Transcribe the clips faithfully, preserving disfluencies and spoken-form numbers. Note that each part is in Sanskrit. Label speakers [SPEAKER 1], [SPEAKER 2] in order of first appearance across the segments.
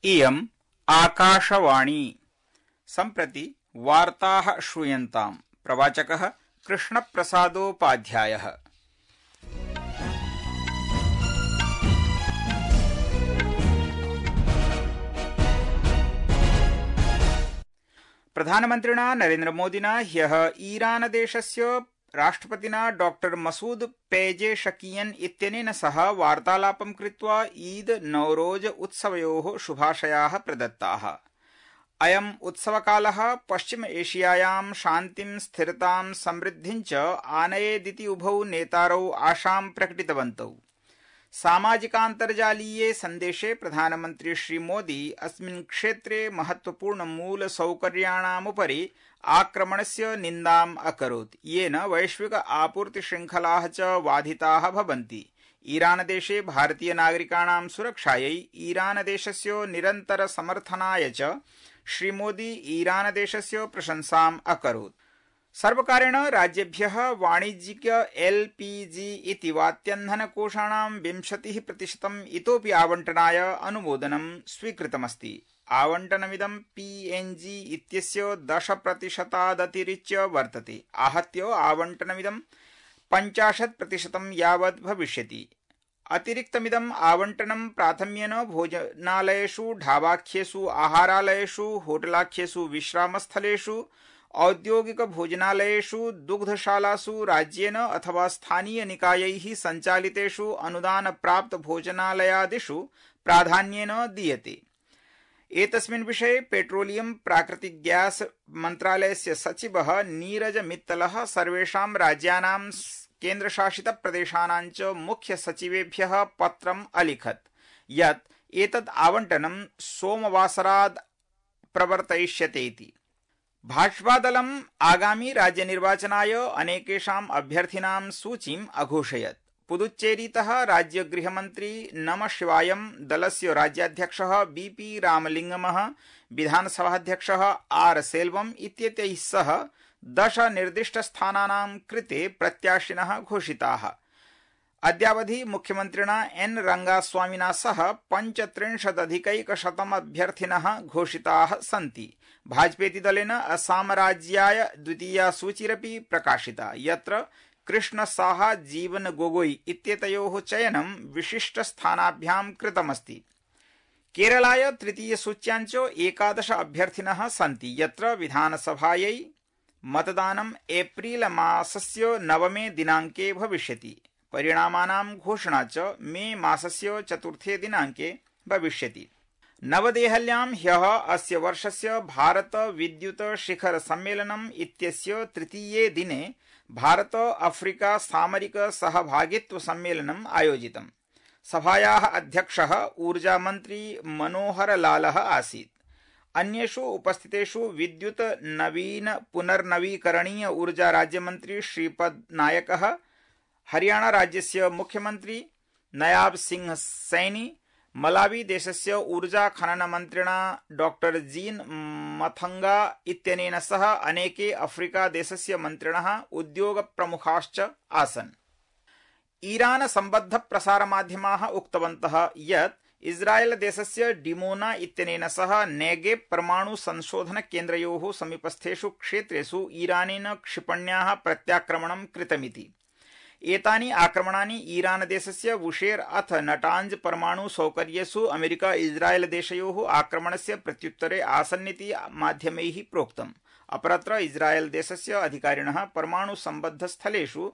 [SPEAKER 1] इयम् आकाशवाणी। सम्प्रति वार्ताः श्रूयन्ताम्। प्रवाचकः कृष्णप्रसादोपाध्यायः। प्रधानमन्त्रिणा नरेन्द्रमोदिना ह्यः ईरानदेशस्य राष्ट्रपतिना डॉक्टर मसूद पेजेशकियन इत्यनेन सह वार्तालापं कृत्वा ईद नौरोज उत्सवयोः शुभाशयाः प्रदत्ताः। अयम् उत्सवकालः पश्चिम एशियायां शान्तिं स्थिरतां समृद्धिं च आनयेदिति उभौ नेतारौ आशां प्रकटितवन्तौ। सामाजिकान्तर्जालीये सन्देशे प्रधानमन्त्री श्रीमोदी अस्मिन् क्षेत्रे महत्वपूर्णमूलसौकर्याणामुपरि आक्रमणस्य निन्दाम् अकरोत्, येन वैश्विक आपूर्तिशृङ्खलाः च बाधिताः भवन्ति। ईरानदेशे भारतीयनागरिकाणां सुरक्षायै ईरानदेशस्य निरन्तरसमर्थनाय च श्रीमोदी ईरानदेशस्य प्रशंसाम् अकरोत्। सर्वकारेण राज्येभ्यः वाणिज्यिक एलपीजी इति वात्यन्धनकोषाणां विंशतिः प्रतिशतम् इतोपि आवण्टनाय अनुमोदनं स्वीकृतमस्ति। आवण्टनमिदं पीएनजी इत्यस्य दश प्रतिशतादतिरिच्य वर्तते। आहत्य आवण्टनमिदं पञ्चाशत् प्रतिशतं यावत् भविष्यति। अतिरिक्तमिदम् आवण्टनं प्राथम्येन भोजनालयेषु, ढाबाख्येषु, आहारालयेषु, होटलाख्येषु, विश्रामस्थलेषु, औद्योगिक भोजनालयेषु, दुग्धशालासु, राज्येन अथवा स्थानीयनिकायैः सञ्चालितेषु अनुदानप्राप्त भोजनालयादिषु प्राधान्येन दीयते। एतस्मिन् विषये पेट्रोलियम प्राकृतिक गैस मन्त्रालयस्य सचिवः नीरज मित्तलः सर्वेषां राज्यानां केन्द्रशासित प्रदेशानां च मुख्य सचिवेभ्यः पत्रम् अलिखत् यत् एतद् आवण्टनं सोमवासरात् प्रवर्तयिष्यते इति। भाजपादलम् आगामी राज्यनिर्वाचनाय अनेकेषाम् अभ्यर्थिनां सूचीम् अघोषयत्। पुदुच्चेरीतः राज्यगृहमन्त्री नमशिवायम, दलस्य राज्याध्यक्षः बीपी रामलिंगमः, विधानसभाध्यक्षः आर सेल्वम इत्येतैः सह दश निर्दिष्टस्थानानां कृते प्रत्याशिनः घोषिताः। अद्यावधि मुख्यमन्त्रिणा एन रंगास्वामिना सह पञ्चत्रिंशदधिकैकशतम् अभ्यर्थिनः घोषिताः सन्ति। भाजपेति दलेन असमराज्याय द्वितीया सूचिरपि प्रकाशिता, यत्र कृष्ण साहा, जीवन गोगोई इत्येतयोः चयनं विशिष्टस्थानाभ्यां कृतमस्ति। केरलाय तृतीयसूच्यां च एकादश अभ्यर्थिनः सन्ति, यत्र विधानसभायै मतदानं एप्रिल मासस्य नवमे दिनाङ्के भविष्यति। परिणामानां घोषणा च मे मासस्य चतुर्थे दिनाङ्के भविष्यति। नवदेहल्यां ह्यः अस्य वर्षस्य भारत विद्युत शिखर सम्मेलनम् इत्यस्य तृतीये दिने भारत अफ्रीका सामरिक सहभागित्व सम्मेलनम् आयोजितम्। सभायाः अध्यक्षः ऊर्जामन्त्री मनोहर लालः आसीत्। अन्येषु उपस्थितेषु विद्युत नवीन पुनर्नवीकरणीय ऊर्जा राज्यमन्त्री श्रीपद नायकः, हरियाणा राज्यस्य मुख्यमन्त्री नयाब सिंह सैनी, मलावी देशस्य ऊर्जा खनन मन्त्रिणा डॉक्टर जीन मथंगा इत्यनेन सह अनेके अफ्रीका देशस्य मन्त्रिणः, उद्योग प्रमुखाश्च आसन्। ईरान सम्बद्ध प्रसारमाध्यमाः उक्तवन्तः यत् इस्राएल देशस्य डिमोना इत्यनेन सह नेगेव परमाणु संशोधन केन्द्रयोः समीपस्थेषु क्षेत्रेषु ईरानेन क्षिपण्याः प्रत्याक्रमणं कृतमिति। एतानि आक्रमणानि ईरानदेशस्य वुशेर अथ नटांज परमाणु सौकर्येषु अमेरिका इस्राएल देशयोः आक्रमणस्य प्रत्युत्तरे आसन्निति माध्यमैः प्रोक्तम्। अपरत्र इस्राएल देशस्य अधिकारिणः परमाणु सम्बद्ध स्थलेषु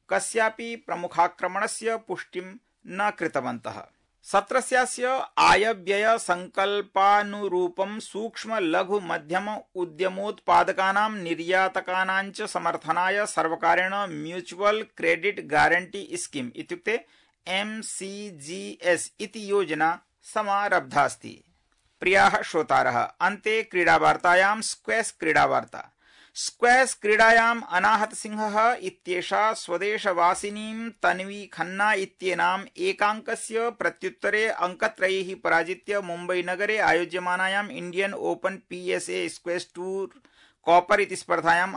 [SPEAKER 1] कस्यापि प्रमुखाक्रमणस्य पुष्टिं न कृतवन्तः। सत्रस्यास्य आयव्यय संकल्पानुरूपं सूक्ष्म लघु मध्यम उद्यमोत्पादकानां निर्यातकानां च समर्थनाय सर्वकारेण म्यूचुअल क्रेडिट गारंटी स्कीम इत्युक्ते एमसीजीएस इति योजना समारब्धास्ति। प्रियाः श्रोतारः, अन्ते क्रीडावार्तायां स्क्वैश क्रीडावार्ता। स्क्वैश क्रीडायाम् अनाहत सिंहः इत्येषा स्वदेशवासिनीं तन्वी खन्ना इत्येनाम् एकाङ्कस्य प्रत्युत्तरे अङ्कत्रयैः पराजित्य मुम्बईनगरे आयोज्यमानायाम् Indian open PSA squash tour copper इति स्पर्धायाम्